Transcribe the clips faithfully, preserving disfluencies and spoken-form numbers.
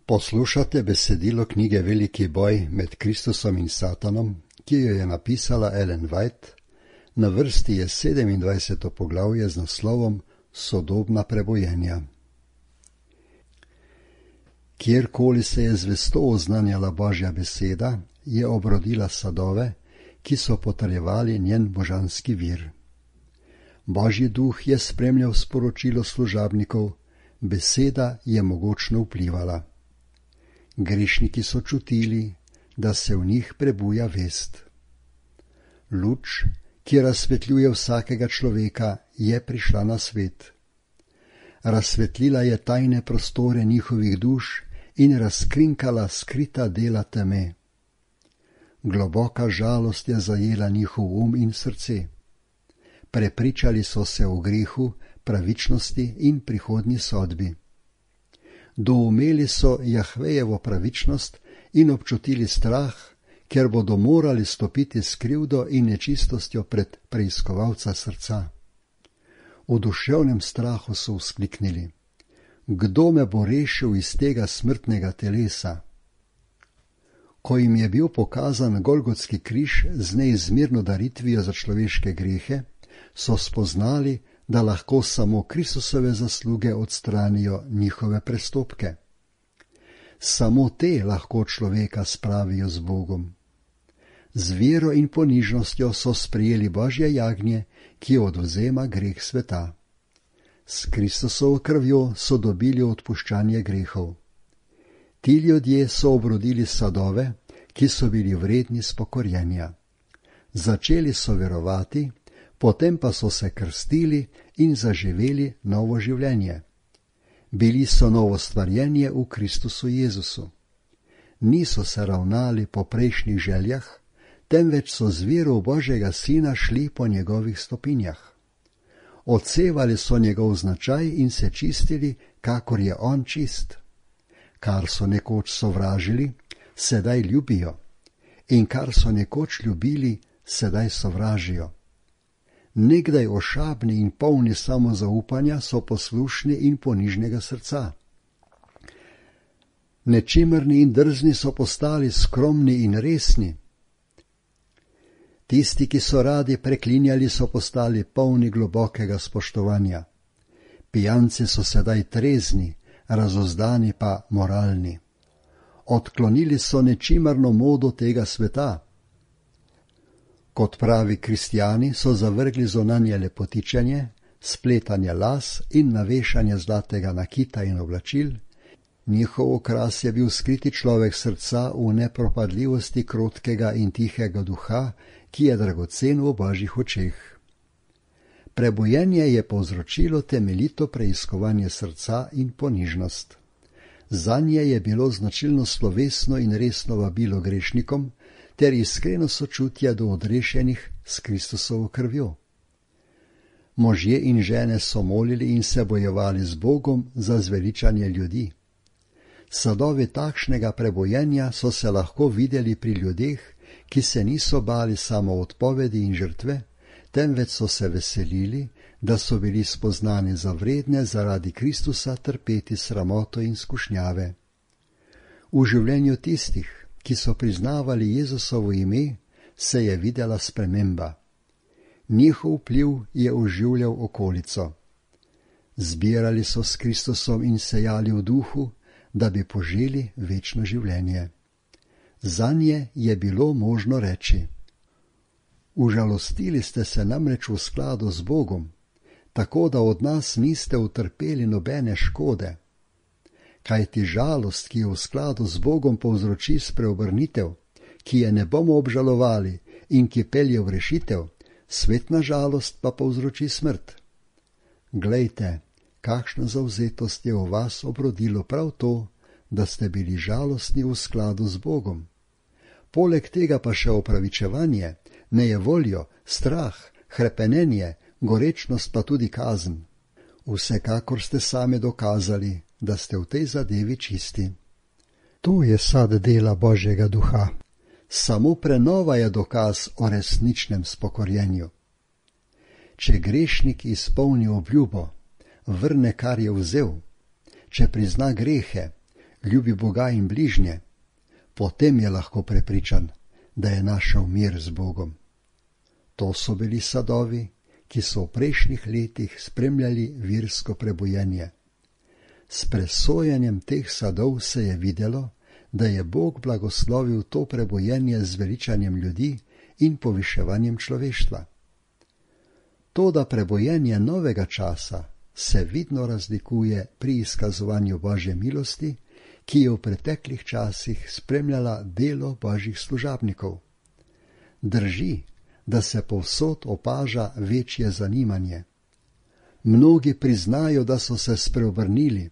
Poslušate besedilo knjige Veliki boj med Kristusom in Satanom, ki jo je napisala Ellen White. Na vrsti je sedemindvajseto poglavje z naslovom Sodobna prebojenja. Kjerkoli se je zvesto oznanjala Božja beseda, je obrodila sadove, ki so potrjevali njen božanski vir. Božji duh je spremljal sporočilo služabnikov, beseda je mogočno vplivala. Grešniki so čutili, da se v njih prebuja vest. Luč, ki razsvetljuje vsakega človeka, je prišla na svet. Razsvetlila je tajne prostore njihovih duš in razkrinkala skrita dela teme. Globoka žalost je zajela njihov um in srce. Prepričali so se o grehu, pravičnosti in prihodnji sodbi. Doumeli so Jahvejevo pravičnost in občutili strah, ker bodo morali stopiti s krivdo in nečistostjo pred preiskovalca srca. V duševnem strahu so vzkliknili: Kdo me bo rešil iz tega smrtnega telesa? Ko jim je bil pokazan Golgotski križ z neizmerno daritvijo za človeške grehe, so spoznali, da lahko samo Kristusove zasluge odstranijo njihove prestopke. Samo te lahko človeka spravijo z Bogom. Z vero in ponižnostjo so sprejeli Božje jagnje, ki odvzema greh sveta. S Kristusovo krvjo so dobili odpuščanje grehov. Ti ljudje so obrodili sadove, ki so bili vredni spokorjenja. Začeli so verovati, potem pa so se krstili in zaživeli novo življenje. Bili so novo stvarjenje v Kristusu Jezusu. Niso se ravnali po prejšnjih željah, temveč so z vero Božjega Sina šli po njegovih stopinjah. Odsevali so njegov značaj in se čistili, kakor je on čist. Kar so nekoč sovražili, sedaj ljubijo, in kar so nekoč ljubili, sedaj sovražijo. Nekdaj ošabni in polni samozaupanja so poslušni in ponižnega srca. Nečimrni in drzni so postali skromni in resni. Tisti, ki so radi preklinjali, so postali polni globokega spoštovanja. Pijanci so sedaj trezni, razozdani pa moralni. Odklonili so nečimrno modo tega sveta. Kot pravi kristjani so zavrgli zunanje lepotičenje, spletanje las in navešanje zlatega nakita in oblačil. Njihov okras je bil skriti človek srca v nepropadljivosti krotkega in tihega duha, ki je dragocen v Božjih očeh. Prebojenje je povzročilo temeljito preiskovanje srca in ponižnost. Zanje je bilo značilno slovesno in resno vabilo grešnikom ter iskreno sočutje do odrešenih s Kristusovo krvjo. Možje in žene so molili in se bojevali z Bogom za zveličanje ljudi. Sadovi takšnega prebojenja so se lahko videli pri ljudeh, ki se niso bali samo odpovedi in žrtve, temveč so se veselili, da so bili spoznani za vredne zaradi Kristusa trpeti sramoto in skušnjave. V življenju tistih, ki so priznavali Jezusovo ime, se je videla sprememba. Njihov vpliv je oživljal okolico. Zbirali so s Kristusom in sejali v duhu, da bi poželi večno življenje. Zanje je bilo možno reči: Užalostili ste se namreč v skladu z Bogom, tako da od nas niste utrpeli nobene škode. Kajti žalost, ki je v skladu z Bogom povzroči spreobrnitev, ki je ne bomo obžalovali in ki pelje v rešitev, svetna žalost pa povzroči smrt. Glejte, kakšna zavzetost je v vas obrodilo prav to, da ste bili žalostni v skladu z Bogom. Poleg tega pa še opravičevanje, nejevoljo, strah, hrepenenje, gorečnost pa tudi kazen. Vsekakor ste sami dokazali, da ste v tej zadevi čisti. To je sad dela Božjega duha. Samo prenova je dokaz o resničnem spokorjenju. Če grešnik izpolni obljubo, vrne, kar je vzel, če prizna grehe, ljubi Boga in bližnje, potem je lahko prepričan, da je našel mir z Bogom. To so bili sadovi, ki so v prejšnjih letih spremljali virsko prebojenje. S presojanjem teh sadov se je videlo, da je Bog blagoslovil to prebojenje z veličanjem ljudi in poviševanjem človeštva. Toda prebojenje novega časa se vidno razlikuje pri izkazovanju Božje milosti, ki je v preteklih časih spremljala delo Božjih služabnikov. Drži, da se povsod opaža večje zanimanje. Mnogi priznajo, da so se spreobrnili,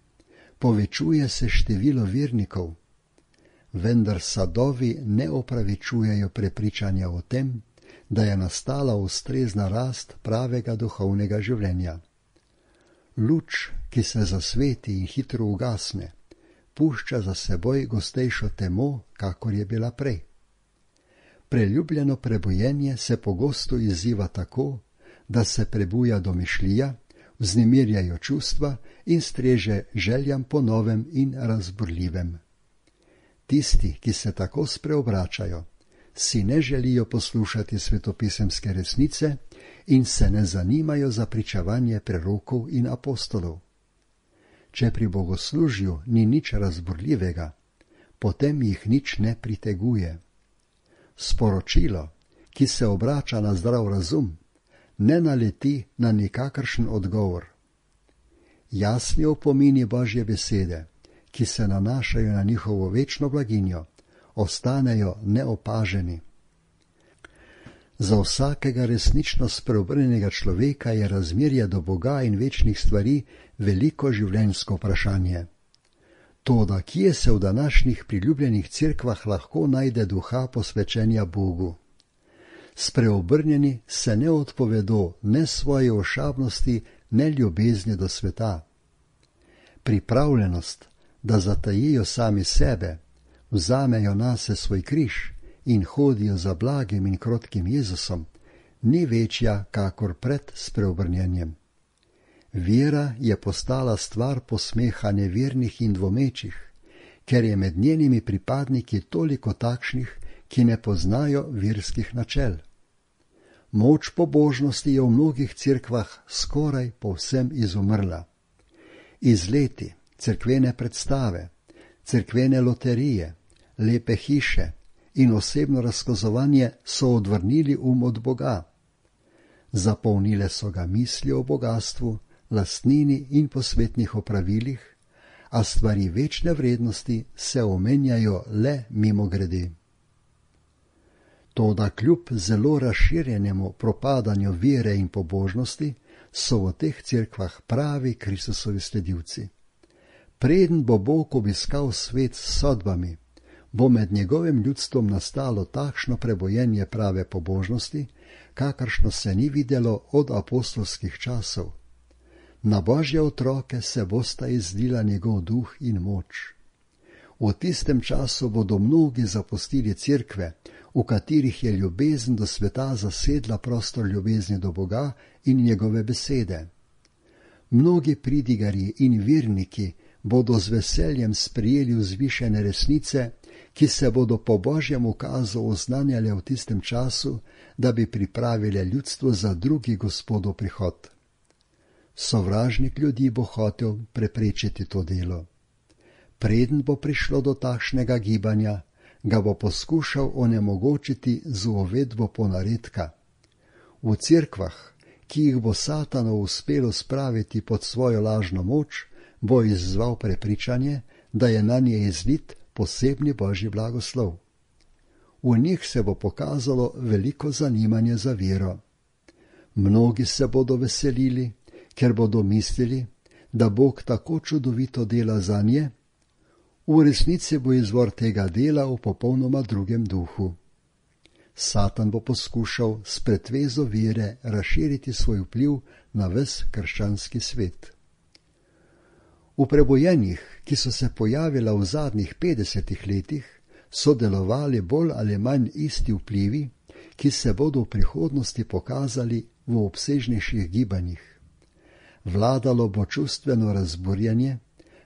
povečuje se število vernikov, vendar sadovi ne opravičujejo prepričanja o tem, da je nastala ustrezna rast pravega duhovnega življenja. Luč, ki se zasveti in hitro ugasne, pušča za seboj gostejšo temo, kakor je bila prej. Preljubljeno prebojenje se pogosto izziva tako, da se prebuja domišljija, vznemirjajo čustva in streže željam po novem in razburljivem. Tisti, ki se tako spreobračajo, si ne želijo poslušati svetopisemske resnice in se ne zanimajo za pričevanje prerokov in apostolov. Če pri bogoslužju ni nič razburljivega, potem jih nič ne priteguje. Sporočilo, ki se obrača na zdrav razum, ne naleti na nikakršen odgovor. Jasni opomini Božje besede, ki se nanašajo na njihovo večno blaginjo, ostanejo neopaženi. Za vsakega resnično spreobrnjenega človeka je razmerje do Boga in večnih stvari veliko življenjsko vprašanje. Toda kje se v današnjih priljubljenih cerkvah lahko najde duha posvečenja Bogu? Spreobrnjeni se ne odpovedo ne svoje ošabnosti, ne ljubezni do sveta. Pripravljenost, da zatajijo sami sebe, vzamejo nase svoj križ in hodijo za blagim in krotkim Jezusom, ni večja kakor pred spreobrnjenjem. Vera je postala stvar posmeha nevernih in dvomečih, ker je med njenimi pripadniki toliko takšnih, ki ne poznajo verskih načel. Moč pobožnosti je v mnogih cerkvah skoraj povsem izumrla. Izleti, cerkvene predstave, cerkvene loterije, lepe hiše in osebno razkazovanje so odvrnili um od Boga. Zapolnile so ga misli o bogastvu, lastnini in posvetnih opravilih, a stvari večne vrednosti se omenjajo le mimogrede. Toda kljub zelo razširjenemu propadanju vere in pobožnosti so v teh cerkvah pravi Kristusovi sledilci. Preden bo Bog obiskal svet s sodbami, bo med njegovim ljudstvom nastalo takšno prebojenje prave pobožnosti, kakršno se ni videlo od apostolskih časov. Na Božje otroke se bosta izlila njegov duh in moč. V tistem času bodo mnogi zapustili cerkve, v katerih je ljubezen do sveta zasedla prostor ljubezni do Boga in njegove besede. Mnogi pridigarji in verniki bodo z veseljem sprijeli vzvišene resnice, ki se bodo po Božjem ukazu oznanjale v tistem času, da bi pripravile ljudstvo za drugi Gospodov prihod. Sovražnik ljudi bo hotel preprečiti to delo. Preden bo prišlo do takšnega gibanja, ga bo poskušal onemogočiti z uvedbo ponaredka. V cerkvah, ki jih bo Satanu uspelo spraviti pod svojo lažno moč, bo izzval prepričanje, da je na nje izlit posebni Božji blagoslov. V njih se bo pokazalo veliko zanimanje za vero. Mnogi se bodo veselili, ker bodo mislili, da Bog tako čudovito dela zanje. V resnici bo izvor tega dela v popolnoma drugem duhu. Satan bo poskušal s pretvezo vere razširiti svoj vpliv na ves krščanski svet. V prebojenjih, ki so se pojavila v zadnjih petdesetih letih, so delovali bolj ali manj isti vplivi, ki se bodo v prihodnosti pokazali v obsežnejših gibanjih. Vladalo bo čustveno razburjenje,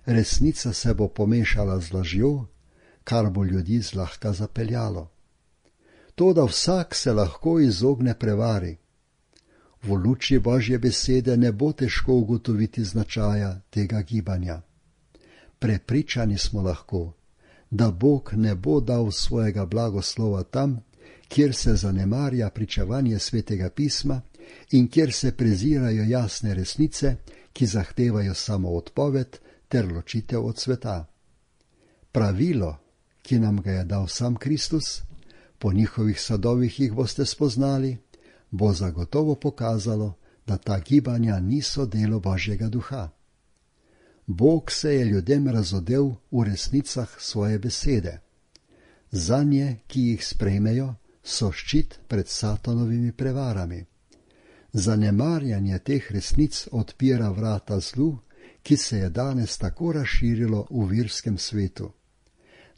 resnica se bo pomešala z lažjo, kar bo ljudi zlahka zapeljalo. Toda vsak se lahko izogne prevari. V luči Božje besede ne bo težko ugotoviti značaja tega gibanja. Prepričani smo lahko, da Bog ne bo dal svojega blagoslova tam, kjer se zanemarja pričevanje Svetega pisma in kjer se prezirajo jasne resnice, ki zahtevajo samo odpoved ter ločitev od sveta. Pravilo, ki nam ga je dal sam Kristus, po njihovih sadovih jih boste spoznali, bo zagotovo pokazalo, da ta gibanja niso delo Božjega duha. Bog se je ljudem razodel v resnicah svoje besede. Zanje, ki jih sprejmejo, so ščit pred satanovimi prevarami. Zanemarjanje teh resnic odpira vrata zlu, ki se je danes tako razširilo v virskem svetu.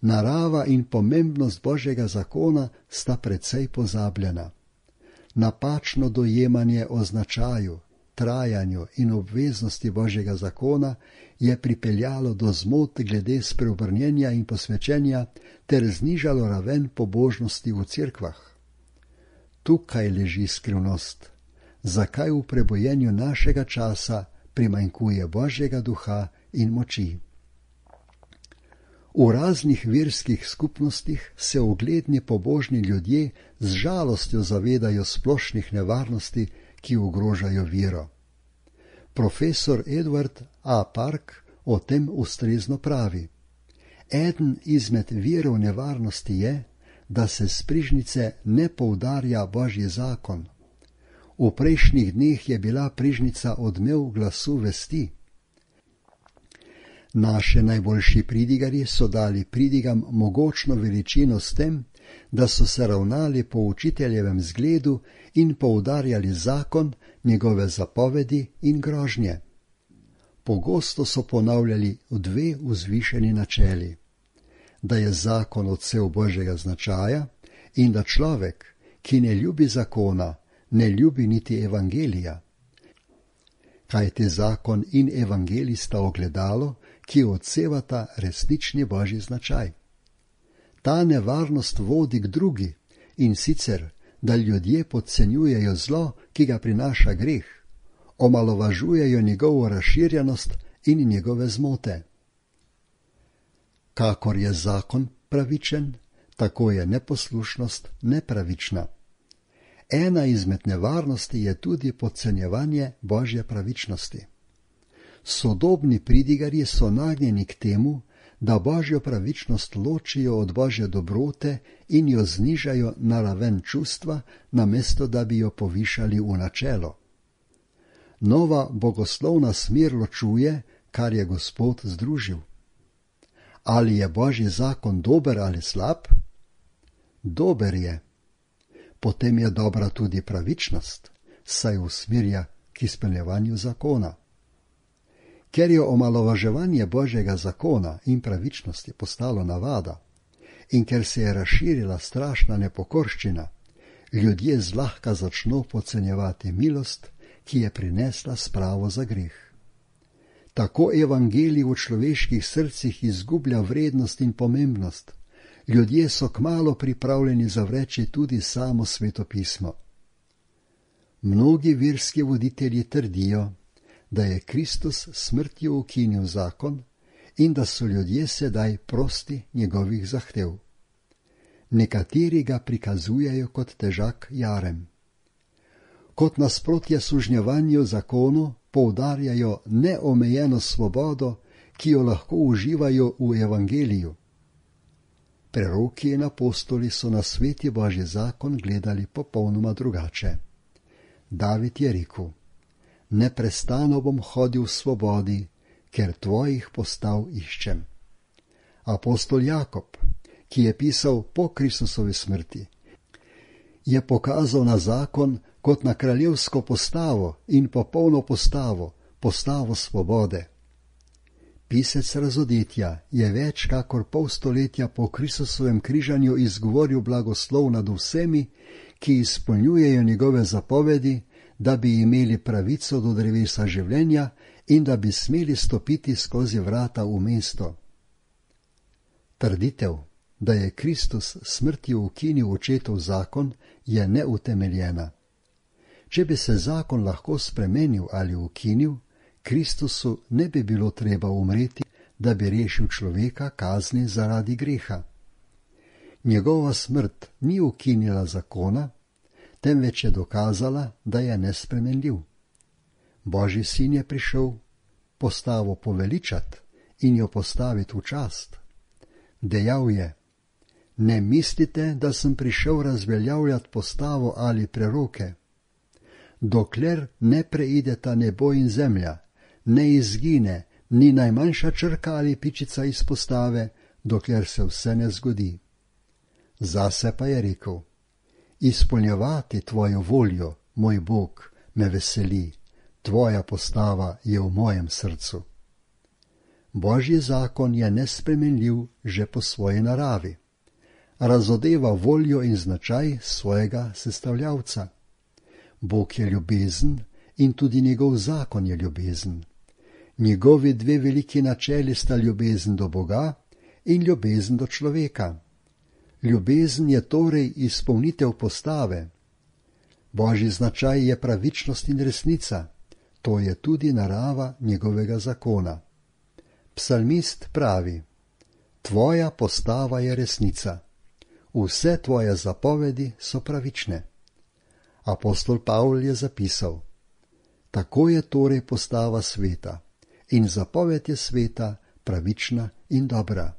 Narava in pomembnost Božjega zakona sta precej pozabljena. Napačno dojemanje o značaju, trajanju in obveznosti Božjega zakona je pripeljalo do zmot glede spreobrnjenja in posvečenja ter znižalo raven pobožnosti v cerkvah. Tukaj leži skrivnost, zakaj v prebojenju našega časa primanjkuje Božjega duha in moči. V raznih verskih skupnostih se ugledni pobožni ljudje z žalostjo zavedajo splošnih nevarnosti, ki ogrožajo vero. Profesor Edward A. Park o tem ustrezno pravi: Eden izmed virov nevarnosti je, da se s prižnice ne poudarja Božji zakon. V prejšnjih dneh je bila prižnica odmev glasu vesti. Naše najboljši pridigarji so dali pridigam mogočno veličino s tem, da so se ravnali po učiteljevem zgledu in poudarjali zakon, njegove zapovedi in grožnje. Pogosto so ponavljali dve vzvišeni načeli: da je zakon odsev Božjega značaja in da človek, ki ne ljubi zakona, ne ljubi niti evangelija. Kajti zakon in evangelij sta ogledalo, ki odsevata resnični Božji značaj. Ta nevarnost vodi k drugi, in sicer, da ljudje podcenjujejo zlo, ki ga prinaša greh, omalovažujejo njegovo razširjenost in njegove zmote. Kakor je zakon pravičen, tako je neposlušnost nepravična. Ena izmed nevarnosti je tudi podcenjevanje Božje pravičnosti. Sodobni pridigarji so nagnjeni k temu, da Božjo pravičnost ločijo od Božje dobrote in jo znižajo na raven čustva, namesto da bi jo povišali v načelo. Nova bogoslovna smer ločuje, kar je Gospod združil. Ali je Božji zakon dober ali slab? Dober je. Potem je dobra tudi pravičnost, saj usmerja k izpolnjevanju zakona. Ker je omalovaževanje Božjega zakona in pravičnosti postalo navada in ker se je razširila strašna nepokorščina, ljudje zlahka začno podcenjevati milost, ki je prinesla spravo za greh. Tako evangelij v človeških srcih izgublja vrednost in pomembnost. Ljudje so kmalu pripravljeni zavreči tudi samo svetopismo. Mnogi verski voditelji trdijo, da je Kristus smrtjo ukinil zakon in da so ljudje sedaj prosti njegovih zahtev. Nekateri ga prikazujejo kot težak jarem. Kot nasprotje sužnjevanju zakonu poudarjajo neomejeno svobodo, ki jo lahko uživajo v evangeliju. Preroki in apostoli so na sveti Božji zakon gledali popolnoma drugače. David je rekel: Neprestano bom hodil v svobodi, ker tvojih postav iščem. Apostol Jakob, ki je pisal po Kristusovi smrti, je pokazal na zakon kot na kraljevsko postavo in popolno postavo, postavo svobode. Pisec Razodetja je več kakor pol stoletja po Kristusovem križanju izgovoril blagoslov nad vsemi, ki izpolnjujejo njegove zapovedi, da bi imeli pravico do drevesa življenja in da bi smeli stopiti skozi vrata v mesto. Trditev, da je Kristus smrtjo ukinil očetov zakon, je neutemeljena. Če bi se zakon lahko spremenil ali ukinil, Kristusu ne bi bilo treba umreti, da bi rešil človeka kazni zaradi greha. Njegova smrt ni ukinila zakona, temveč je dokazala, da je nespremenljiv. Božji sin je prišel postavo poveličat in jo postaviti v čast. Dejal je: ne mislite, da sem prišel razveljavljati postavo ali preroke. Dokler ne preideta nebo in zemlja, ne izgine ni najmanjša črka ali pičica iz postave, dokler se vse ne zgodi. Zase pa je rekel: izpolnjevati tvojo voljo, moj Bog, me veseli, tvoja postava je v mojem srcu. Božji zakon je nespremenljiv že po svoji naravi. Razodeva voljo in značaj svojega sestavljavca. Bog je ljubezen in tudi njegov zakon je ljubezen. Njegovi dve veliki načeli sta ljubezen do Boga in ljubezen do človeka. Ljubezen je torej izpolnitev postave. Božji značaj je pravičnost in resnica, to je tudi narava njegovega zakona. Psalmist pravi: tvoja postava je resnica, vse tvoje zapovedi so pravične. Apostol Pavl je zapisal: tako je torej postava sveta in zapoved je sveta pravična in dobra.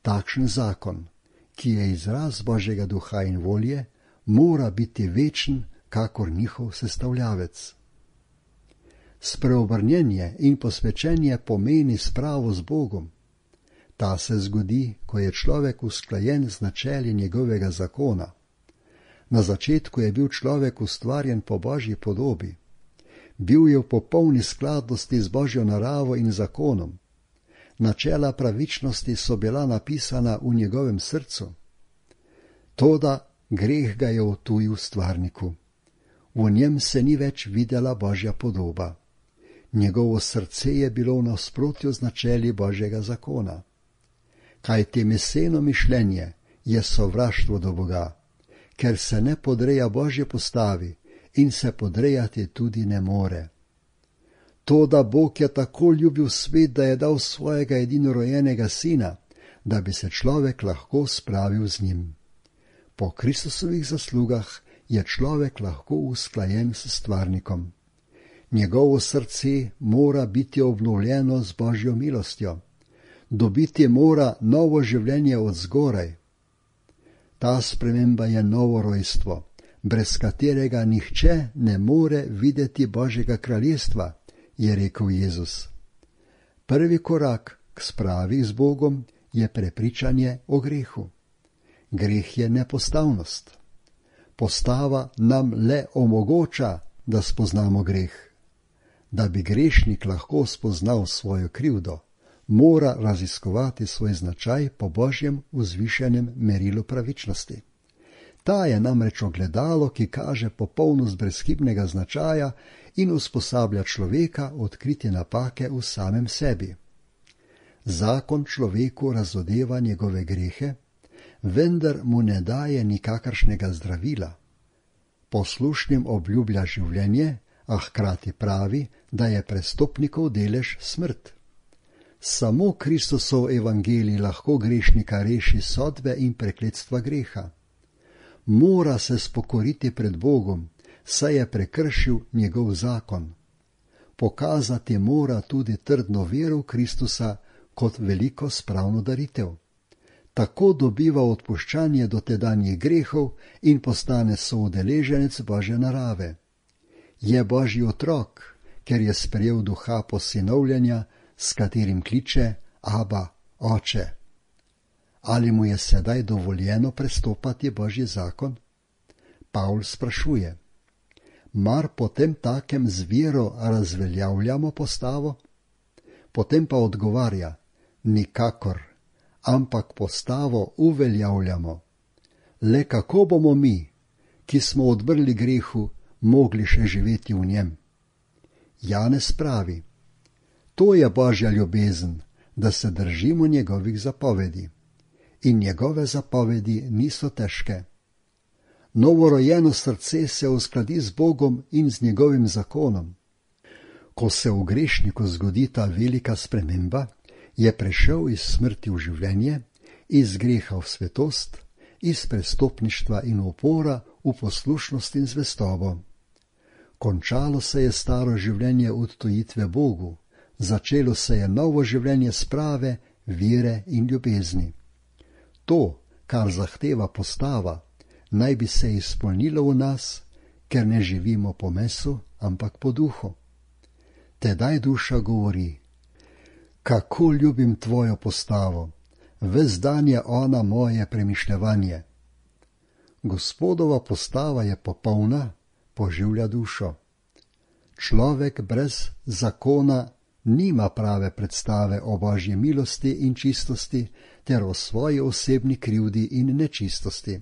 Takšen zakon, ki je izraz Božjega duha in volje, mora biti večen kakor njihov sestavljavec. Spreobrnjenje in posvečenje pomeni spravo z Bogom. Ta se zgodi, ko je človek usklajen z načeli njegovega zakona. Na začetku je bil človek ustvarjen po Božji podobi. Bil je v popolni skladnosti z Božjo naravo in zakonom. Načela pravičnosti so bila napisana v njegovem srcu. Toda greh ga je odtujil stvarniku. V njem se ni več videla Božja podoba. Njegovo srce je bilo v nasprotju z načeli Božjega zakona. Kajti meseno mišljenje je sovraštvo do Boga, ker se ne podreja Božje postavi in se podrejati tudi ne more. To, da Bog je tako ljubil svet, da je dal svojega edinorojenega sina, da bi se človek lahko spravil z njim. Po Kristusovih zaslugah je človek lahko usklajen s stvarnikom. Njegovo srce mora biti obnovljeno z Božjo milostjo. Dobiti mora novo življenje od zgoraj. Ta sprememba je novo rojstvo, brez katerega nihče ne more videti Božjega kraljestva, je rekel Jezus. Prvi korak k spravi z Bogom je prepričanje o grehu. Greh je nepostavnost. Postava nam le omogoča, da spoznamo greh. Da bi grešnik lahko spoznal svojo krivdo, mora raziskovati svoj značaj po Božjem vzvišenem merilu pravičnosti. Ta je namreč ogledalo, ki kaže popolnost brezhibnega značaja in usposablja človeka odkriti napake v samem sebi. Zakon človeku razodeva njegove grehe, vendar mu ne daje nikakršnega zdravila. Poslušnim obljublja življenje, a hkrati pravi, da je prestopnikov delež smrt. Samo Kristusov evangelij lahko grešnika reši sodbe in prekletstva greha. Mora se spokoriti pred Bogom, saj je prekršil njegov zakon. Pokazati mora tudi trdno vero v Kristusa kot veliko spravno daritev. Tako dobiva odpuščanje dotedanjih grehov in postane soudeleženec Božje narave. Je Božji otrok, ker je sprejel duha posinovljenja, s katerim kliče Aba, Oče. Ali mu je sedaj dovoljeno prestopati Božji zakon? Pavl sprašuje: mar potem takem z vero razveljavljamo postavo? Potem pa odgovarja: nikakor, ampak postavo uveljavljamo. Le kako bomo mi, ki smo odbrli grehu, mogli še živeti v njem? Janez pravi: To je Božja ljubezen, da se držimo njegovih zapovedi. In njegove zapovedi niso težke. Novorojeno srce se uskladi z Bogom in z njegovim zakonom. Ko se v grešniku zgodi ta velika sprememba, je prešel iz smrti v življenje, iz greha v svetost, iz prestopništva in upora v poslušnost in zvestobo. Končalo se je staro življenje odtujitve Bogu, začelo se je novo življenje sprave, vere in ljubezni. To, kar zahteva postava, naj bi se izpolnilo v nas, ker ne živimo po mesu, ampak po duhu. Tedaj duša govori: kako ljubim tvojo postavo, ves dan je ona moje premišljevanje. Gospodova postava je popolna, poživlja dušo. Človek brez zakona nima prave predstave o Božji milosti in čistosti ter o svoji osebni krivdi in nečistosti.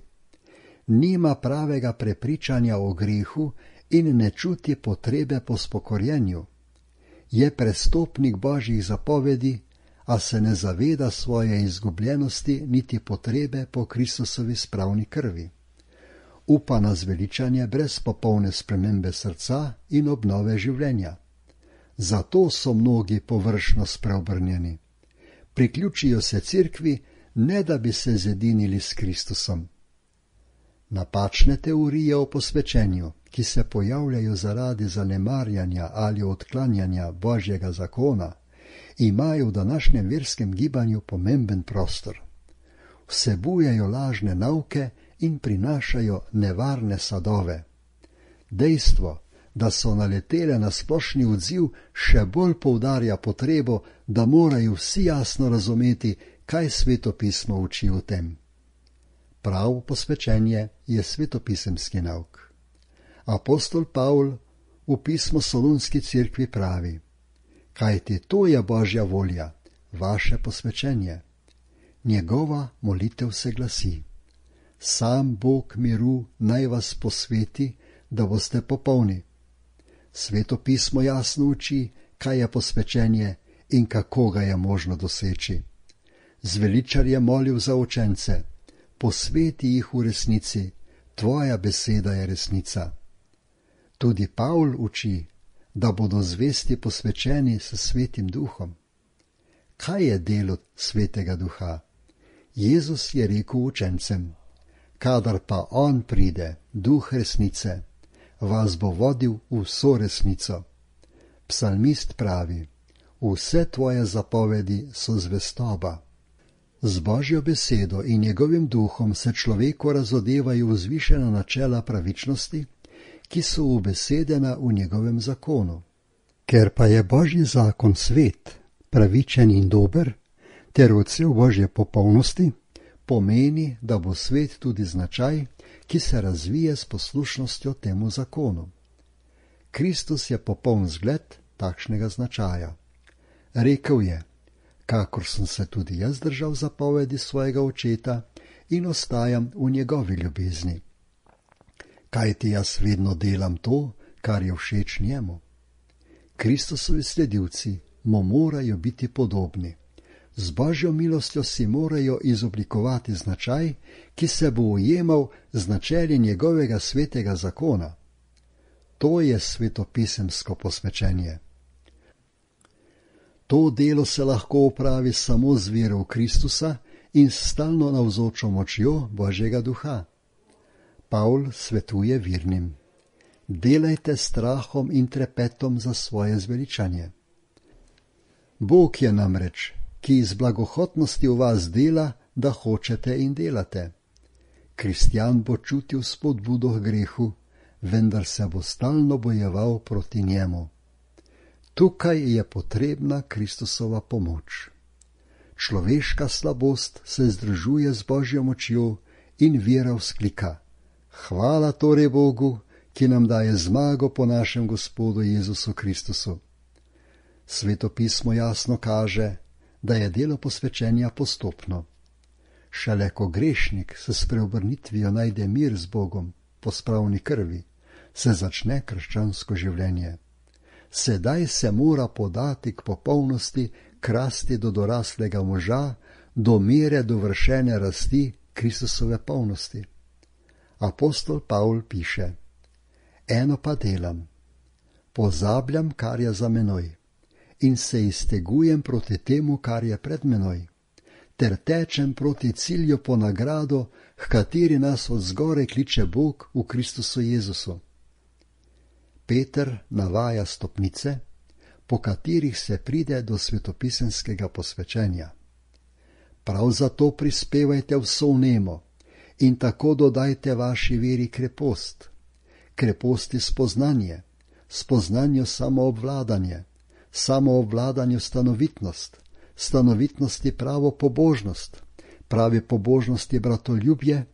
Nima pravega prepričanja o grehu in ne čuti potrebe po spokorjenju. Je prestopnik Božjih zapovedi, a se ne zaveda svoje izgubljenosti niti potrebe po Kristusovi spravni krvi. Upa na zveličanje brez popolne spremembe srca in obnove življenja. Zato so mnogi površno spreobrnjeni. Priključijo se cerkvi, ne da bi se zedinili s Kristusom. Napačne teorije o posvečenju, ki se pojavljajo zaradi zanemarjanja ali odklanjanja Božjega zakona, imajo v današnjem verskem gibanju pomemben prostor. Vsebujejo lažne nauke in prinašajo nevarne sadove. Dejstvo, da so naletele na splošni odziv, še bolj poudarja potrebo, da morajo vsi jasno razumeti, kaj svetopismo uči o tem. Pravo posvečenje je svetopisemski nauk. Apostol Pavl v pismu Solunski cerkvi pravi: kajti to je Božja volja, vaše posvečenje. Njegova molitev se glasi: sam Bog miru naj vas posveti, da boste popolni. Svetopismo jasno uči, kaj je posvečenje in kako ga je možno doseči. Zveličar je molil za učence: posveti jih v resnici, tvoja beseda je resnica. Tudi Pavl uči, da bodo zvesti posvečeni s Svetim Duhom. Kaj je delo Svetega Duha? Jezus je rekel učencem: kadar pa on pride, Duh resnice, vas bo vodil v vso resnico. Psalmist pravi: vse tvoje zapovedi so zvestoba. Z Božjo besedo in njegovim duhom se človeku razodevajo vzvišena načela pravičnosti, ki so ubesedena v njegovem zakonu. Ker pa je Božji zakon svet, pravičen in dober, ter odsev Božje popolnosti, pomeni, da bo svet tudi značaj, ki se razvije s poslušnostjo temu zakonu. Kristus je popoln zgled takšnega značaja. Rekel je: kakor sem se tudi jaz držal zapovedi svojega očeta in ostajam v njegovi ljubezni. Kajti jaz vedno delam to, kar je všeč njemu. Kristusovi sledilci mu morajo biti podobni. Z Božjo milostjo si morajo izoblikovati značaj, ki se bo ujemal z načeli njegovega svetega zakona. To je svetopisemsko posvečenje. To delo se lahko opravi samo z vero v Kristusa in s stalno navzočo močjo Božjega Duha. Pavl svetuje vernim: delajte s strahom in trepetom za svoje zveličanje. Bog je namreč, ki iz blagohotnosti v vas dela, da hočete in delate. Kristjan bo čutil spodbudo k grehu, vendar se bo stalno bojeval proti njemu. Tukaj je potrebna Kristusova pomoč. Človeška slabost se združuje z Božjo močjo in vera vzklika: hvala torej Bogu, ki nam daje zmago po našem Gospodu Jezusu Kristusu. Svetopismo jasno kaže, da je delo posvečenja postopno. Šele ko grešnik s spreobrnitvijo najde mir z Bogom po spravni krvi, se začne krščansko življenje. sedaj se mora podati k popolnosti, krasti do doraslega moža, do mere dovršene rasti Kristusove polnosti. Apostol Pavl piše: Eno pa delam, pozabljam, kar je za menoj, in se iztegujem proti temu, kar je pred menoj, ter tečem proti cilju po nagrado, h kateri nas od zgore kliče Bog v Kristusu Jezusu. Peter navaja stopnice, po katerih se pride do svetopisemskega posvečenja. Prav zato prispevajte vso vnemo in tako dodajte vaši veri krepost, kreposti spoznanje, spoznanju samoobvladanje, samoobvladanju stanovitnost, stanovitnosti pravo pobožnost, pravi pobožnosti bratoljubje,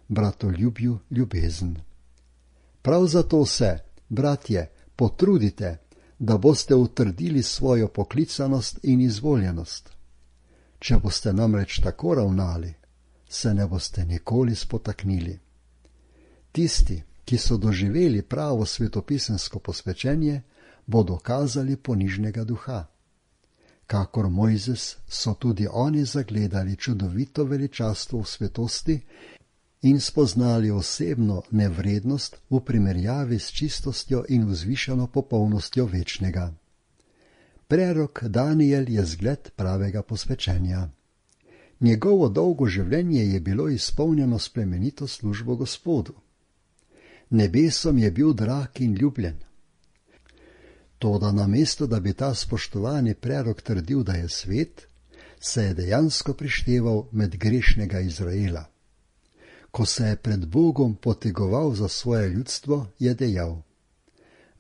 bratoljubju ljubezen. Prav zato se, bratje, potrudite, da boste utrdili svojo poklicanost in izvoljenost. Če boste namreč tako ravnali, se ne boste nikoli spotaknili. Tisti, ki so doživeli pravo svetopisemsko posvečenje, bodo kazali ponižnega duha. Kakor Mojzes so tudi oni zagledali čudovito veličastvo v svetosti in spoznali osebno nevrednost v primerjavi s čistostjo in vzvišeno popolnostjo večnega. Prerok Daniel je zgled pravega posvečenja. Njegovo dolgo življenje je bilo izpolnjeno s plemenito službo Gospodu. Nebesom je bil drag in ljubljen. Toda namesto, da bi ta spoštovani prerok trdil, da je svet, se je dejansko prišteval med grešnega Izraela. Ko se je pred Bogom potegoval za svoje ljudstvo, je dejal: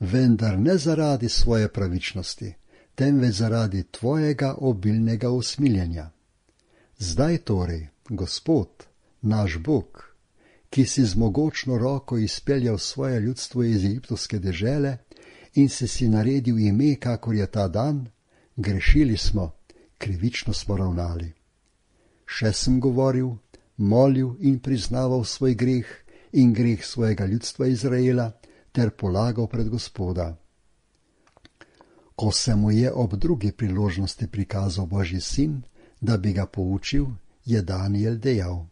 vendar ne zaradi svoje pravičnosti, temveč zaradi tvojega obilnega usmiljenja. Zdaj torej, Gospod, naš Bog, ki si z mogočno roko izpeljal svoje ljudstvo iz egiptovske dežele in si si naredil ime, kakor je ta dan, grešili smo, krivično smo ravnali. Še sem govoril, molil in priznaval svoj greh in greh svojega ljudstva Izraela ter polagal pred Gospoda. Ko se mu je ob drugi priložnosti prikazal Božji sin, da bi ga poučil, je Daniel dejal: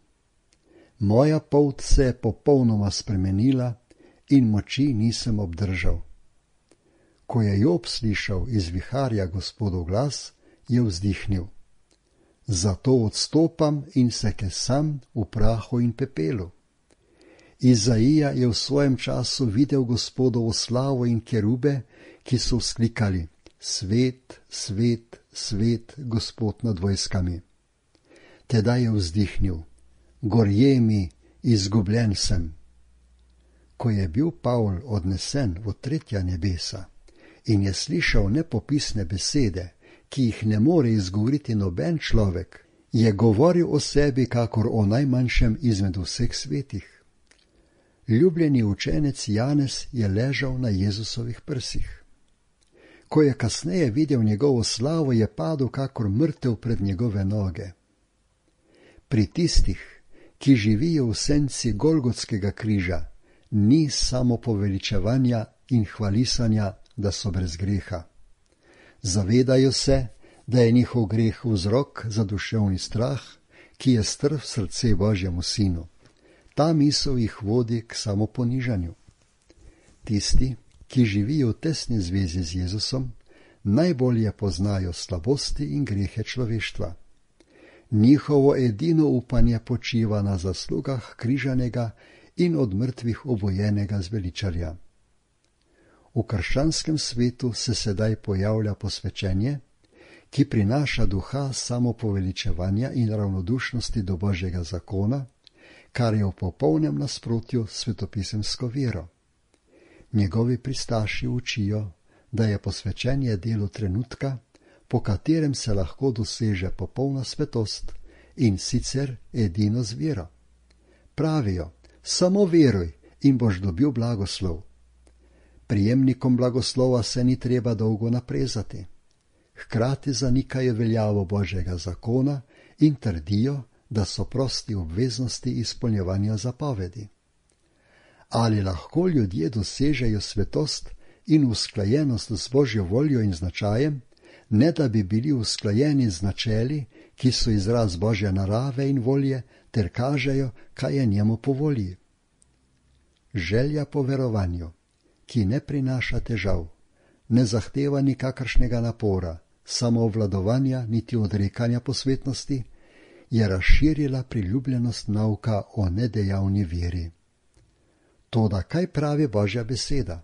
moja polt se je popolnoma spremenila in moči nisem obdržal. Ko je Job slišal iz viharja Gospodov glas, je vzdihnil: zato odstopam in se kesam v prahu in pepelu. Izaija je v svojem času videl Gospodovo slavo in kerube, ki so vzklikali: svet, svet, svet, Gospod nad vojskami. Tedaj je vzdihnil: gorje mi, izgubljen sem. Ko je bil Pavl odnesen v tretja nebesa in je slišal nepopisne besede, ki jih ne more izgovoriti noben človek, je govoril o sebi kakor o najmanjšem izmed vseh svetih. Ljubljeni učenec Janez je ležal na Jezusovih prsih. Ko je kasneje videl njegovo slavo, je padel kakor mrtev pred njegove noge. Pri tistih, ki živijo v senci Golgotskega križa, ni samo poveličevanja in hvalisanja, da so brez greha. Zavedajo se, da je njihov greh vzrok za duševni strah, ki je strv srce Božjemu sinu. Ta misel jih vodi k samoponižanju. Tisti, ki živijo v tesni zvezi z Jezusom, najbolje poznajo slabosti in grehe človeštva. Njihovo edino upanje počiva na zaslugah križanega in od mrtvih obojenega zveličarja. V krščanskem svetu se sedaj pojavlja posvečenje, ki prinaša duha samopoveličevanja in ravnodušnosti do Božjega zakona, kar je v popolnem nasprotju s svetopisemsko vero. Njegovi pristaši učijo, da je posvečenje delo trenutka, po katerem se lahko doseže popolna svetost in sicer edino z vero. Pravijo: samo veruj in boš dobil blagoslov. Prijemnikom blagoslova se ni treba dolgo naprezati. Hkrati zanikajo veljavo Božjega zakona in trdijo, da so prosti obveznosti izpolnjevanja zapovedi. Ali lahko ljudje dosežejo svetost in usklajenost z Božjo voljo in značajem, ne da bi bili usklajeni z načeli, ki so izraz Božje narave in volje, ter kažejo, kaj je njemu po volji. Želja po verovanju, ki ne prinaša težav, ne zahteva nikakršnega napora, samoobvladovanja niti odrekanja posvetnosti, je razširila priljubljenost nauka o nedejavni veri. Toda kaj pravi Božja beseda?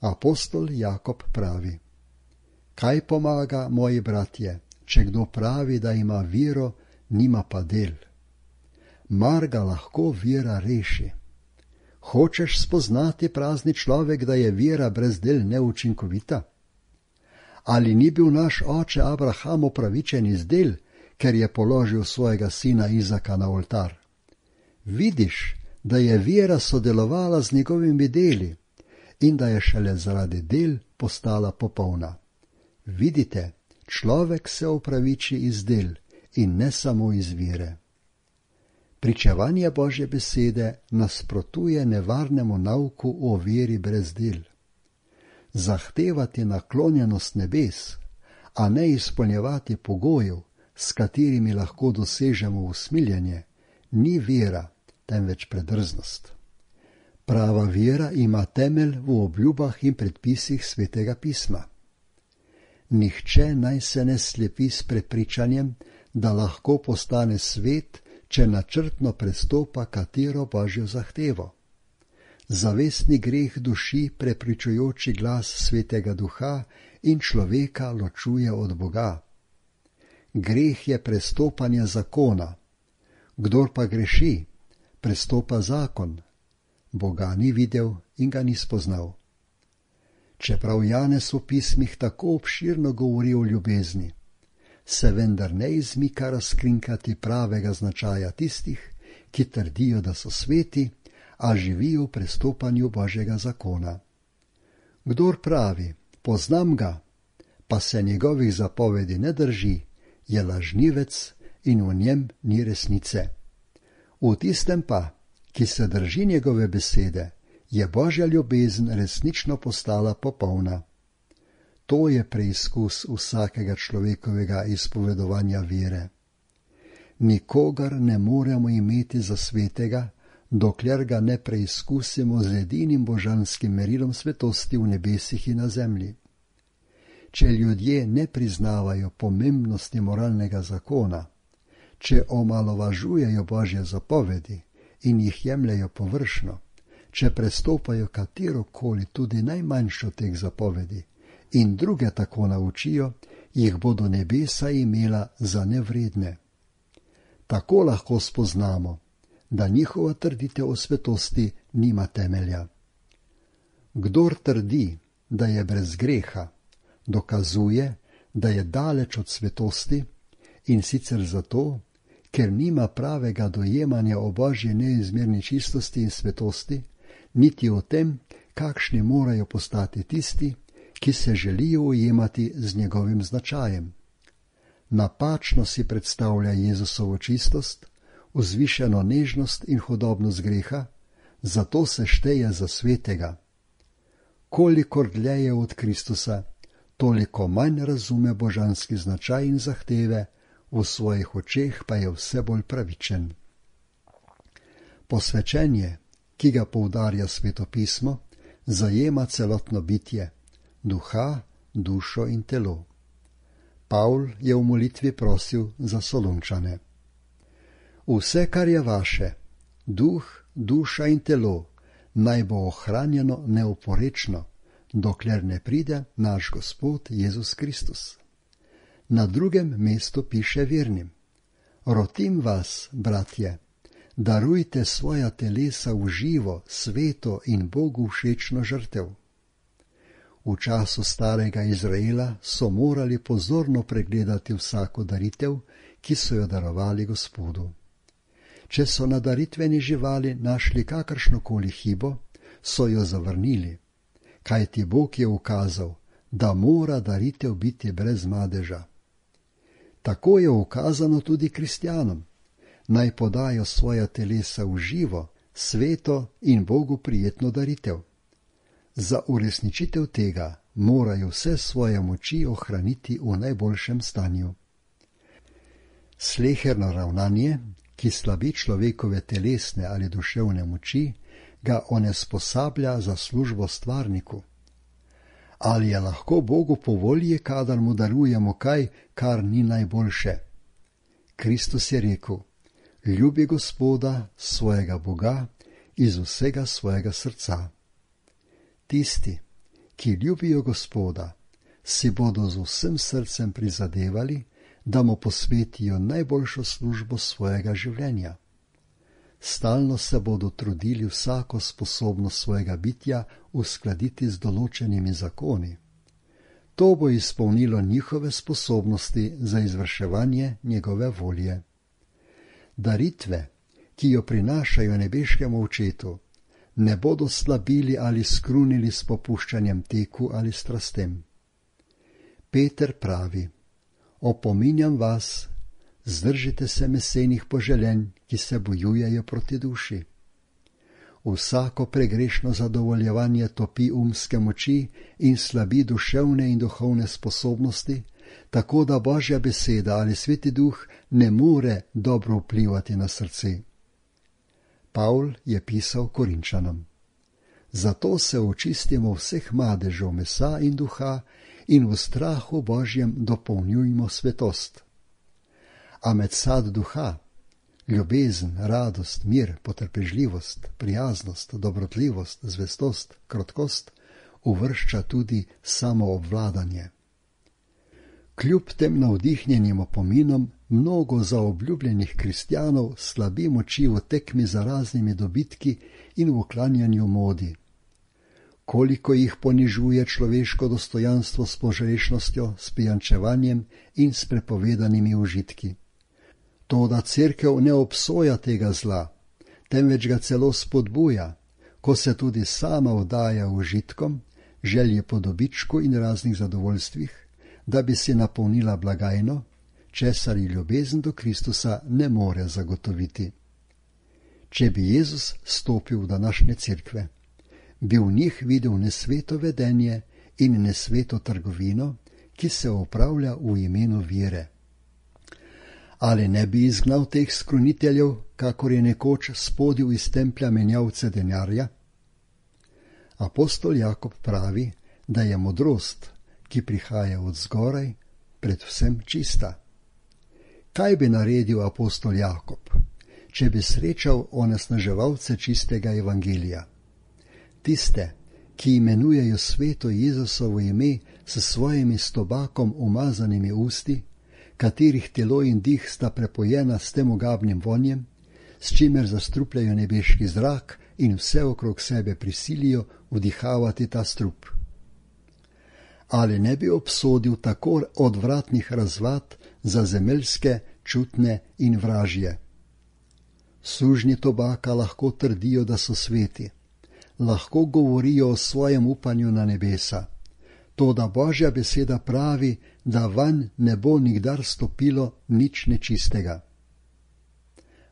Apostol Jakob pravi: Kaj pomaga, moji bratje, če kdo pravi, da ima vero, nima pa del? Mar ga lahko vera reši? Hočeš spoznati, prazni človek, da je vera brez del neučinkovita? Ali ni bil naš oče Abraham upravičen iz del, ker je položil svojega sina Izaka na oltar? Vidiš, da je vera sodelovala z njegovimi deli in da je šele zaradi del postala popolna. Vidite, človek se upraviči iz del in ne samo iz vere. Pričevanje Božje besede nasprotuje nevarnemu nauku o veri brez del. Zahtevati naklonjenost nebes, a ne izpolnjevati pogojev, s katerimi lahko dosežemo usmiljenje, ni vera, temveč predrznost. Prava vera ima temelj v obljubah in predpisih Svetega pisma. Nihče naj se ne slepi s prepričanjem, da lahko postane svet, če načrtno prestopa katero Božjo zahtevo. Zavestni greh duši prepričujoči glas Svetega Duha in človeka ločuje od Boga. Greh je prestopanje zakona. Kdor pa greši, prestopa zakon. Boga ni videl in ga ni spoznal. Čeprav Janez v pismih tako obširno govori o ljubezni, se vendar ne izmika razkrinkati pravega značaja tistih, ki trdijo, da so sveti, a živijo v prestopanju Božjega zakona. Kdor pravi, poznam ga, pa se njegovih zapovedi ne drži, je lažnivec in v njem ni resnice. V tistem pa, ki se drži njegove besede, je Božja ljubezen resnično postala popolna. To je preizkus vsakega človekovega izpovedovanja vere. Nikogar ne moremo imeti za svetega, dokler ga ne preizkusimo z edinim božanskim merilom svetosti v nebesih in na zemlji. Če ljudje ne priznavajo pomembnosti moralnega zakona, če omalovažujejo Božje zapovedi in jih jemljejo površno, če prestopajo katerokoli tudi najmanjšo teh zapovedi in druge tako naučijo, jih bodo nebesa imela za nevredne. Tako lahko spoznamo, da njihova trditev o svetosti nima temelja. Kdor trdi, da je brez greha, dokazuje, da je daleč od svetosti, in sicer zato, ker nima pravega dojemanja o Božji neizmerni čistosti in svetosti, niti o tem, kakšni morajo postati tisti, ki se želijo ujemati z njegovim značajem. Napačno si predstavlja Jezusovo čistost, vzvišeno nežnost in hudobnost greha, zato se šteje za svetega. Kolikor dlje je od Kristusa, toliko manj razume božanski značaj in zahteve, v svojih očeh pa je vse bolj pravičen. Posvečenje, ki ga poudarja Sveto pismo, zajema celotno bitje, duha, dušo in telo. Pavl je v molitvi prosil za Solunčane. Vse, kar je vaše, duh, duša in telo, naj bo ohranjeno neoporečno, dokler ne pride naš Gospod Jezus Kristus. Na drugem mestu piše vernim: Rotim vas, bratje, darujte svoja telesa v živo, sveto in Bogu všečno žrtev. V času starega Izraela so morali pozorno pregledati vsako daritev, ki so jo darovali Gospodu. Če so na daritveni živali našli kakršnokoli hibo, so jo zavrnili, kajti Bog je ukazal, da mora daritev biti brez madeža. Tako je ukazano tudi kristjanom, naj podajo svoja telesa v živo, sveto in Bogu prijetno daritev. Za uresničitev tega morajo vse svoje moči ohraniti v najboljšem stanju. Sleherno ravnanje, ki slabi človekove telesne ali duševne moči, ga onesposablja za službo stvarniku. Ali je lahko Bogu po volji, kadar mu darujemo kaj, kar ni najboljše? Kristus je rekel: ljubi Gospoda, svojega Boga, iz vsega svojega srca. Tisti, ki ljubijo Gospoda, si bodo z vsem srcem prizadevali, da mu posvetijo najboljšo službo svojega življenja. Stalno se bodo trudili vsako sposobnost svojega bitja uskladiti z določenimi zakoni. To bo izpolnilo njihove sposobnosti za izvrševanje njegove volje. Daritve, ki jo prinašajo nebeškemu očetu, ne bodo slabili ali skrunili s popuščanjem teku ali strastem. Peter pravi: opominjam vas, zdržite se mesenih poželenj, ki se bojujejo proti duši. Vsako pregrešno zadovoljevanje topi umske moči in slabi duševne in duhovne sposobnosti, tako da Božja beseda ali Sveti Duh ne more dobro vplivati na srce. Pavl je pisal Korinčanom: zato se očistimo vseh madežev mesa in duha in v strahu Božjem dopolnjujmo svetost. A med sad duha, ljubezen, radost, mir, potrpežljivost, prijaznost, dobrotljivost, zvestost, krotkost, uvršča tudi samoobvladanje. Kljub tem navdihnjenim opominom mnogo zaobljubljenih kristjanov slabi moči v tekmi za raznimi dobitki in v uklanjanju modi. Koliko jih ponižuje človeško dostojanstvo s požrešnostjo, s pijančevanjem in s prepovedanimi užitki. Toda cerkev ne obsoja tega zla, temveč ga celo spodbuja, ko se tudi sama vdaja užitkom, želje po dobičku in raznih zadovoljstvih, da bi si napolnila blagajno, česar ji ljubezen do Kristusa ne more zagotoviti. Če bi Jezus stopil v današnje cerkve, bi v njih videl nesveto vedenje in nesveto trgovino, ki se opravlja v imenu vere. Ali ne bi izgnal teh skruniteljev, kakor je nekoč spodil iz templja menjavce denarja? Apostol Jakob pravi, da je modrost, ki prihaja od zgoraj, predvsem čista. Kaj bi naredil apostol Jakob, če bi srečal onesnaževalce čistega evangelija? Tiste, ki imenujejo sveto Jezusovo ime s svojimi s tobakom umazanimi usti, katerih telo in dih sta prepojena s tem ogabnim vonjem, s čimer zastrupljajo nebeški zrak in vse okrog sebe prisilijo vdihavati ta strup. Ali ne bi obsodil tako odvratnih razvad za zemeljske, čutne in vražje? Sužnji tobaka lahko trdijo, da so sveti, lahko govorijo o svojem upanju na nebesa, toda Božja beseda pravi, da vanj ne bo nikdar stopilo nič nečistega.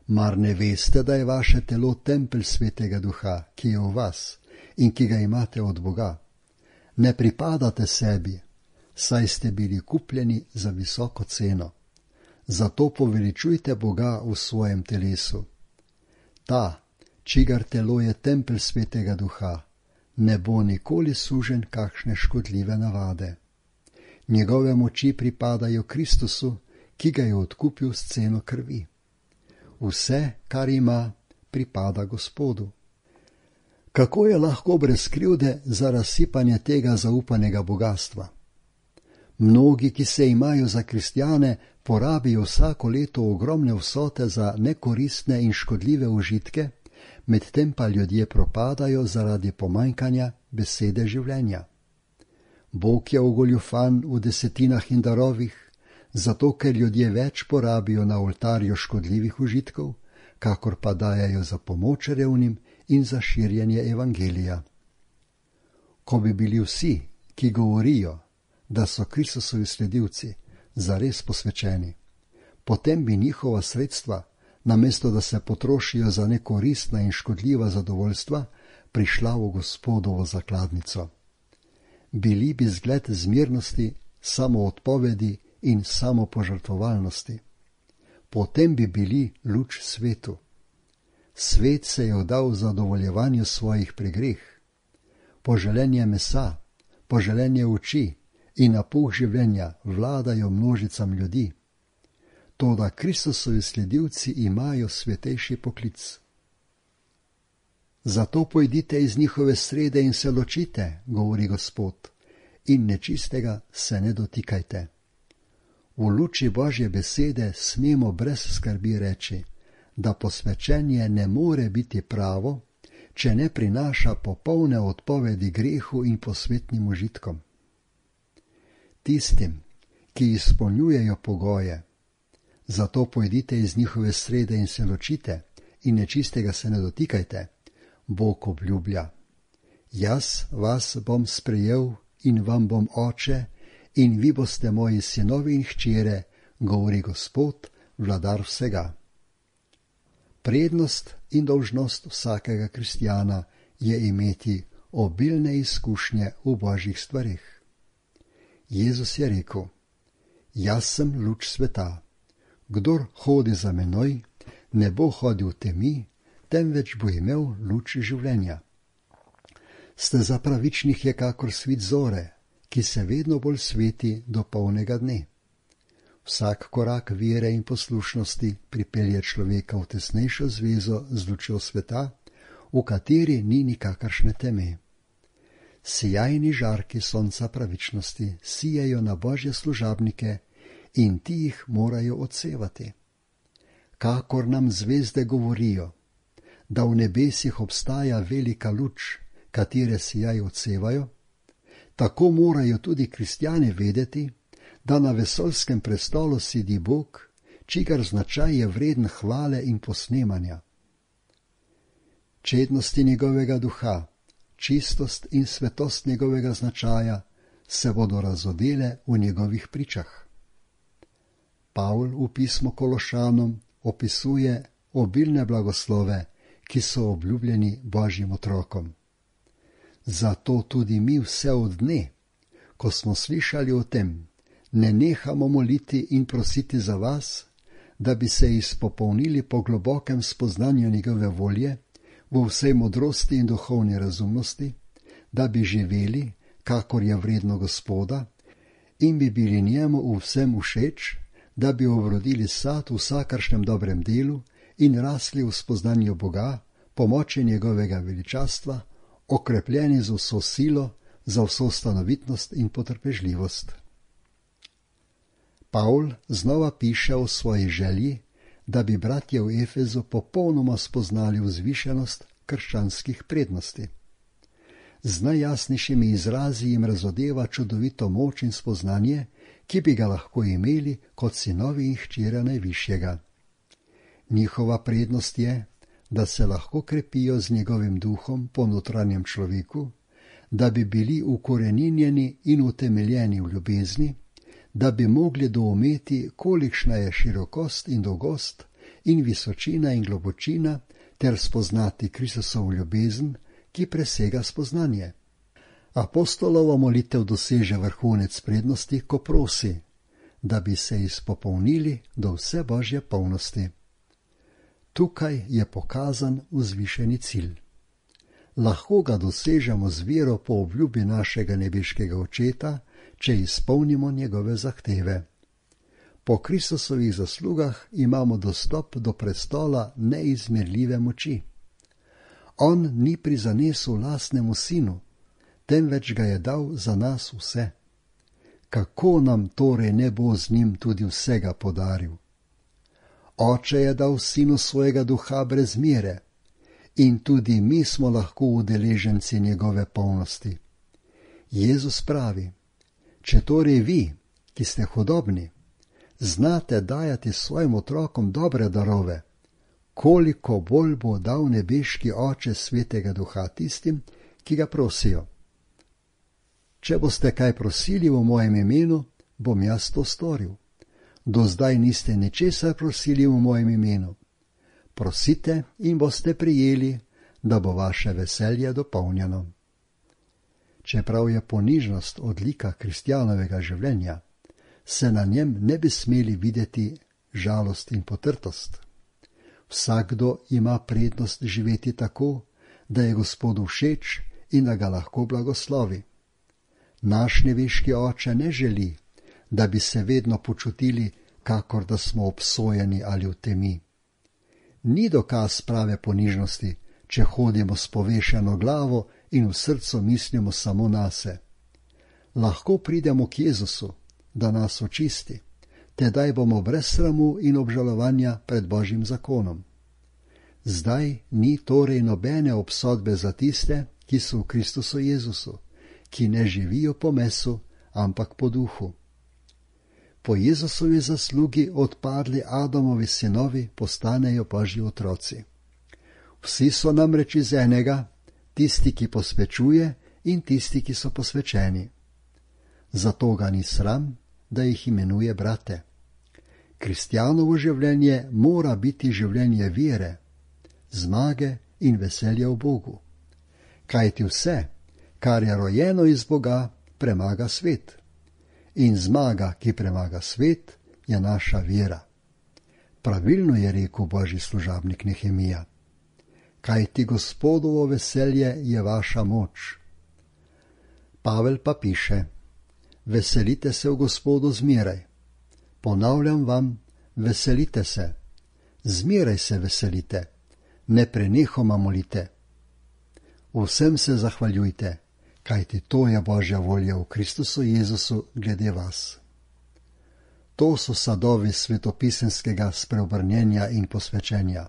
Mar ne veste, da je vaše telo tempelj Svetega Duha, ki je v vas in ki ga imate od Boga? Ne pripadate sebi, saj ste bili kupljeni za visoko ceno. Zato poveličujte Boga v svojem telesu. Ta, čigar telo je tempelj Svetega Duha, ne bo nikoli sužen kakšne škodljive navade. Njegove moči pripadajo Kristusu, ki ga je odkupil s ceno krvi. Vse, kar ima, pripada Gospodu. Kako je lahko brez krivde za razsipanje tega zaupanega bogastva? Mnogi, ki se imajo za kristjane, porabijo vsako leto ogromne vsote za nekoristne in škodljive užitke, medtem pa ljudje propadajo zaradi pomanjkanja besede življenja. Bog je ogoljufan v desetinah in darovih, zato ker ljudje več porabijo na oltarju škodljivih užitkov, kakor pa dajajo za pomoč revnim in za širjenje evangelija. Ko bi bili vsi, ki govorijo, da so Kristusovi sledilci, zares posvečeni, potem bi njihova sredstva, namesto da se potrošijo za nekoristna in škodljiva zadovoljstva, prišla v Gospodovo zakladnico. Bili bi zgled zmernosti, samoodpovedi in samopožrtvovalnosti. Potem bi bili luč svetu. Svet se je vdal zadovoljevanju svojih pregreh. Poželenje mesa, poželenje oči in napuh življenja vladajo množicam ljudi. Toda Kristusovi sledilci imajo svetejši poklic. Zato pojdite iz njihove srede in se ločite, govori Gospod, in nečistega se ne dotikajte. V luči Božje besede smemo brez skrbi reči, da posvečenje ne more biti pravo, če ne prinaša popolne odpovedi grehu in posvetnim užitkom. Tistim, ki izpolnjujejo pogoje, zato pojdite iz njihove srede in se ločite, in nečistega se ne dotikajte, Bog obljublja. Jaz vas bom sprejel in vam bom oče, in vi boste moji sinovi in hčere, govori Gospod, vladar vsega. Prednost in dolžnost vsakega kristjana je imeti obilne izkušnje v Božjih stvareh. Jezus je rekel: Jaz sem luč sveta. Kdor hodi za menoj, ne bo hodil v temi, temveč bo imel luč življenja. Steza pravičnih je kakor svit zore, ki se vedno bolj sveti do polnega dne. Vsak korak vere in poslušnosti pripelje človeka v tesnejšo zvezo z lučjo sveta, v kateri ni nikakršne teme. Sijajni žarki sonca pravičnosti sijajo na Božje služabnike in ti jih morajo odsevati. Kakor nam zvezde govorijo, da v nebesih obstaja velika luč, katere sijaj odsevajo, tako morajo tudi kristjani vedeti, da na vesoljskem prestolu sedi Bog, čigar značaj je vreden hvale in posnemanja. Čednosti njegovega duha, čistost in svetost njegovega značaja se bodo razodele v njegovih pričah. Pavl v pismu Kološanom opisuje obilne blagoslove, ki so obljubljeni Božjim otrokom. Zato tudi mi vse od dne, ko smo slišali o tem, ne nehamo moliti in prositi za vas, da bi se izpopolnili po globokem spoznanju njegove volje, v vsej modrosti in duhovni razumnosti, da bi živeli, kakor je vredno Gospoda, in bi bili njemu v vsem všeč, da bi obrodili sad v vsakršnem dobrem delu in rasli v spoznanju Boga, pomoči njegovega veličastva, okrepljeni z vso silo, za vso stanovitnost in potrpežljivost. Pavl znova piše o svoji želji, da bi bratje v Efezu popolnoma spoznali vzvišenost krščanskih prednosti. Z najjasnejšimi izrazi jim razodeva čudovito moč in spoznanje, ki bi ga lahko imeli kot sinovi in hčere najvišjega. Njihova prednost je, da se lahko krepijo z njegovim duhom po notranjem človeku, da bi bili ukoreninjeni in utemeljeni v ljubezni, da bi mogli doumeti, kolikšna je širokost in dolgost in visočina in globočina, ter spoznati Kristusovo ljubezen, ki presega spoznanje. Apostolova molitev doseže vrhunec prednosti, ko prosi, da bi se izpopolnili do vse Božje polnosti. Tukaj je pokazan vzvišeni cilj. Lahko ga dosežemo z vero po obljubi našega nebeškega Očeta, če izpolnimo njegove zahteve. Po Kristusovih zaslugah imamo dostop do prestola neizmerljive moči. On ni prizanesel lastnemu sinu, temveč ga je dal za nas vse. Kako nam torej ne bo z njim tudi vsega podaril? Oče je dal sinu svojega duha brez mere in tudi mi smo lahko udeleženci njegove polnosti. Jezus pravi: če torej vi, ki ste hudobni, znate dajati svojim otrokom dobre darove, koliko bolj bo dal nebeški Oče svetega duha tistim, ki ga prosijo. Če boste kaj prosili v mojem imenu, bom jaz to storil. Do zdaj niste ničesar prosili v mojem imenu. Prosite in boste prijeli, da bo vaše veselje dopolnjeno. Čeprav je ponižnost odlika kristjanovega življenja, se na njem ne bi smeli videti žalost in potrtost. Vsakdo ima prednost živeti tako, da je Gospodu všeč in da ga lahko blagoslovi. Naš nebeški Oče ne želi, da bi se vedno počutili, kakor da smo obsojeni ali v temi. Ni dokaz prave ponižnosti, če hodimo s povešeno glavo in v srcu mislimo samo nase. Lahko pridemo k Jezusu, da nas očisti, tedaj bomo brez sramu in obžalovanja pred Božjim zakonom. Zdaj ni torej nobene obsodbe za tiste, ki so v Kristusu Jezusu, ki ne živijo po mesu, ampak po duhu. Po Jezusovi zaslugi odpadli Adamovi sinovi postanejo Božji otroci. Vsi so namreč iz enega, tisti, ki posvečuje in tisti, ki so posvečeni. Zato ga ni sram, da jih imenuje brate. Kristjanovo življenje mora biti življenje vere, zmage in veselja v Bogu. Kajti vse, kar je rojeno iz Boga, premaga svet. In zmaga, ki premaga svet, je naša vera. Pravilno je rekel Božji služabnik Nehemija. Kajti Gospodovo veselje je vaša moč. Pavel pa piše: Veselite se v Gospodu zmeraj. Ponavljam vam, veselite se. Zmeraj se veselite. Ne prenehoma molite. Vsem se zahvaljujte, kajti to je Božja volja v Kristusu Jezusu glede vas. To so sadovi svetopisemskega spreobrnjenja in posvečenja.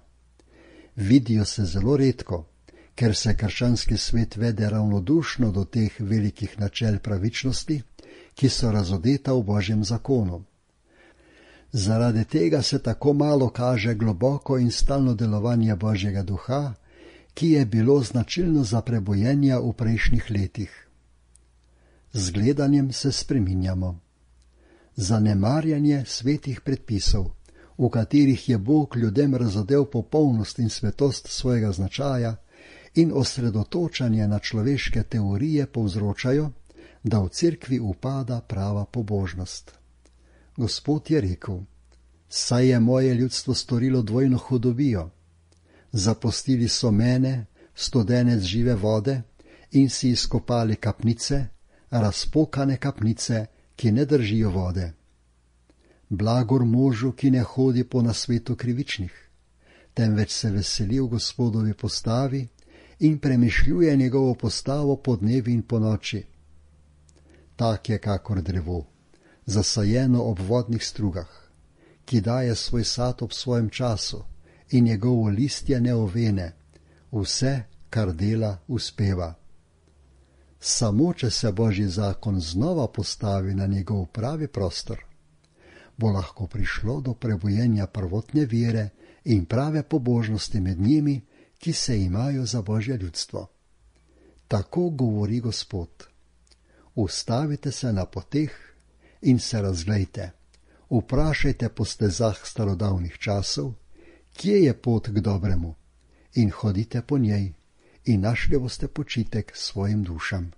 Vidijo se zelo redko, ker se krščanski svet vede ravnodušno do teh velikih načel pravičnosti, ki so razodeta v Božjem zakonu. Zaradi tega se tako malo kaže globoko in stalno delovanje Božjega duha, ki je bilo značilno za prebojenja v prejšnjih letih. Z gledanjem se spreminjamo. Zanemarjanje svetih predpisov, v katerih je Bog ljudem razodel popolnost in svetost svojega značaja, in osredotočanje na človeške teorije povzročajo, da v cerkvi upada prava pobožnost. Gospod je rekel: Saj je moje ljudstvo storilo dvojno hudobijo. Zapustili so mene, studenec žive vode, in si izkopali kapnice, razpokane kapnice, ki ne držijo vode. Blagor možu, ki ne hodi po nasvetu krivičnih, temveč se veseli v Gospodovi postavi in premišljuje njegovo postavo po dnevi in po noči. Tak je kakor drevo, zasajeno ob vodnih strugah, ki daje svoj sad ob svojem času in njegovo listje ne ovene, vse, kar dela, uspeva. Samo, če se Božji zakon znova postavi na njegov pravi prostor, bo lahko prišlo do prebujenja prvotne vere in prave pobožnosti med njimi, ki se imajo za Božje ljudstvo. Tako govori Gospod. Ustavite se na poteh in se razglejte. Vprašajte po stezah starodavnih časov, kje je pot k dobremu, in hodite po njej, in našli boste počitek svojim dušam.